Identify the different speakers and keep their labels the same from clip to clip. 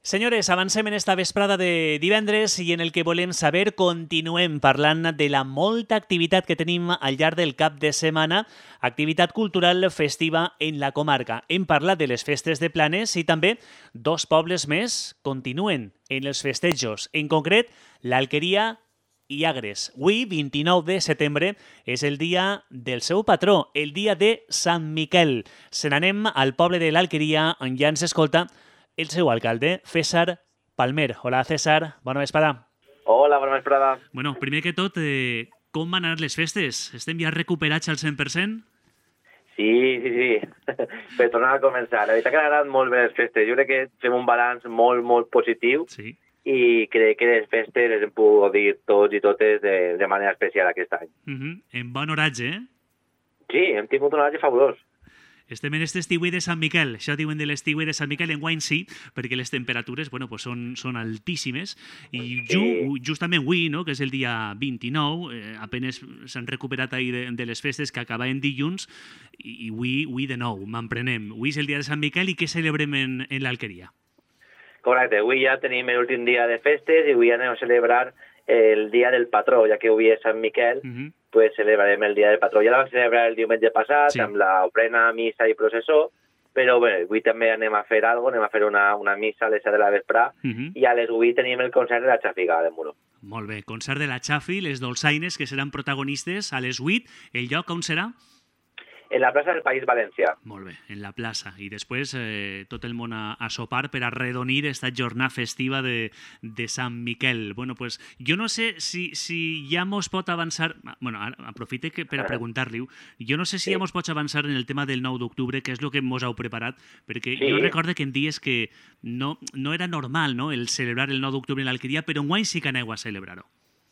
Speaker 1: Senyores, avancem en esta vesprada de divendres i en el que volem saber continuem parlant de la molta activitat que tenim al llarg del cap de setmana, activitat cultural festiva en la comarca. Hem parlat de les festes de Planes i també dos pobles més continuen en els festejos, en concret l'Alqueria i Agres. Avui, 29 de setembre, és el dia del seu patró, el dia de Sant Miquel. Se n'anem al poble de l'Alqueria, on ja ens escolta el seu alcalde, César Palmer. Hola, César. Bona vesprada.
Speaker 2: Hola, bona vesprada.
Speaker 1: Bueno, primer que tot, com van anar les festes? Estem ja recuperats al 100%?
Speaker 2: Sí. Per tornar a començar. La veritat que han anat molt bé les festes. Jo crec que fem un balanç molt positiu.
Speaker 1: Sí.
Speaker 2: I crec que les festes les hem pogut dir tots i totes de manera especial aquest any.
Speaker 1: En bon oratge, eh?
Speaker 2: Sí, hem tingut un oratge fabulós.
Speaker 1: Estem en este estiuet de Sant Miquel. Això diuen de l'estiuet de Sant Miquel. Enguany sí, perquè les temperatures són altíssimes. I justament avui, no, que és el dia 29, apenes s'han recuperat ahir de les festes que acabaven dilluns, i avui de nou, m'emprenem. Avui és el dia de Sant Miquel i què celebrem en l'Alqueria?
Speaker 2: Correcte, avui ja tenim l'últim dia de festes i avui anem a celebrar el dia del patró, ja que avui és Sant Miquel, pues celebrarem el dia del patró. Ja la vam celebrar el diumenge passat, sí, amb l'ofrena, missa i processó, però bé, avui també anem a fer alguna cosa, anem a fer una missa a les 7 de la vesprà, i a les 8 tenim el concert de la Xàfiga de Muro.
Speaker 1: Molt bé, concert de la Xafi, les dolçaines que seran protagonistes a les 8. El lloc on serà?
Speaker 2: En la plaça del País Valencià.
Speaker 1: Molt bé, en la plaça. I després tot el món a sopar per arredonir esta jornada festiva de Sant Miquel. Bueno, pues jo no sé si ja mos pot avançar... Bueno, aprofite per a preguntar-li. Jo no sé si ja mos pots avançar en el tema del 9 d'octubre, que és el que mos heu preparat, perquè jo recordo que em dies que no era normal, no?, el celebrar el 9 d'octubre en l'Alqueria, però enguany sí que aneu a celebrar-ho.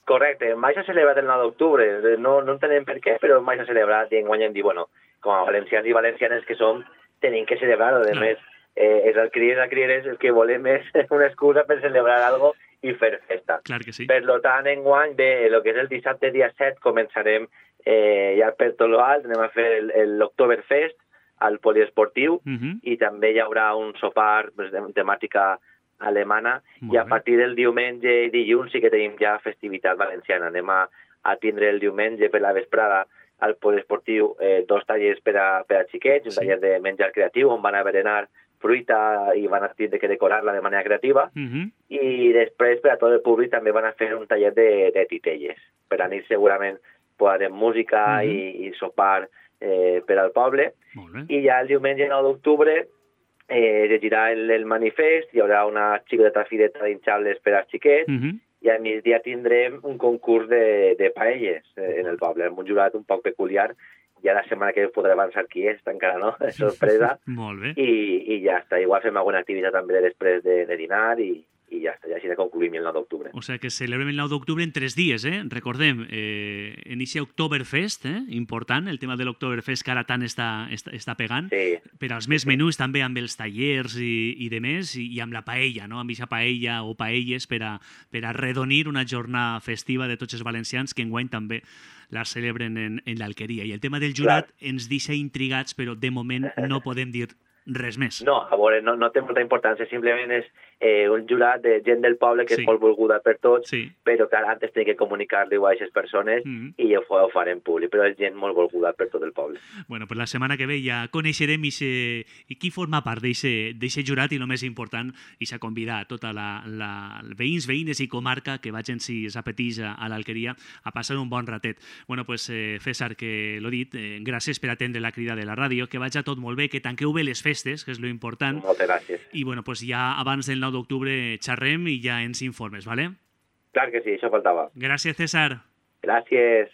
Speaker 2: Correcte, mai s'ha celebrat el 9 d'octubre. No entenem per què, però mai s'ha celebrat i enguany hem dit, bueno, com a valencians i valencianes que som, tenim que celebrar-ho. A més, els alquerieres el que volem és una excusa per celebrar algo i fer festa.
Speaker 1: Clar que sí.
Speaker 2: Per tant, enguany, el que és el dissabte, dia 7, començarem ja per tot l'alt, anem a fer l'Oktoberfest al poliesportiu i també hi haurà un sopar de temàtica alemana i a partir del diumenge i dilluns sí que tenim ja festivitat valenciana. Anem a tindre el diumenge per la vesprada al poliesportiu dos tallers per a xiquets, un taller de menjar creatiu on van a berenar fruita i van a tindre que decorar-la de manera creativa i després per a tot el públic també van a fer un taller de titelles. Per a nit segurament posarem música i sopar per al poble i ja el diumenge 9 d'octubre llegirà el manifest, hi haurà una xicoteta fireta d'inxables per als xiquets i a migdia tindrem un concurs de paelles en el poble, amb un jurat un poc peculiar. Ja la setmana que podré avançar qui és, encara no, és sorpresa.
Speaker 1: Molt bé.
Speaker 2: I ja està, igual fem alguna activitat també després de dinar i ja està, ja així de concluïm el 9 d'octubre.
Speaker 1: O sigui que celebrem el 9 d'octubre en 3 dies, Recordem, en aquest Oktoberfest, important, el tema de l'Oktoberfest que ara tant està pegant, per als més menús també amb els tallers i de més, i amb la paella, no?, amb aquesta paella o paelles per a arredonir una jornada festiva de tots els valencians que enguany també la celebren en l'Alqueria. I el tema del jurat ens deixa intrigats, però de moment no podem dir res més.
Speaker 2: No, a veure, no té molta importància, simplement és un jurat de gent del poble que és molt volguda per tots, però que antes té que comunicar-li a aquestes persones i ho farem públic, però és gent molt volguda per tot el poble.
Speaker 1: Bueno, pues la setmana que ve ja coneixerem qui forma part d'aquest jurat i el més important, i s'ha convidat a tota la veïns, veïnes i comarca que vagin, si s'apeteix, a l'Alqueria a passar un bon ratet. Bueno, pues César, que l'ho dit, gràcies per atendre la crida de la ràdio, que vagi tot molt bé, que tanqueu bé les festes, que és lo important.
Speaker 2: Moltes gràcies.
Speaker 1: I bueno, pues ja abans del 9 d'octubre xerrem i ja ens informes, ¿vale?
Speaker 2: Clar que sí, això faltava.
Speaker 1: Gràcies, César.
Speaker 2: Gràcies.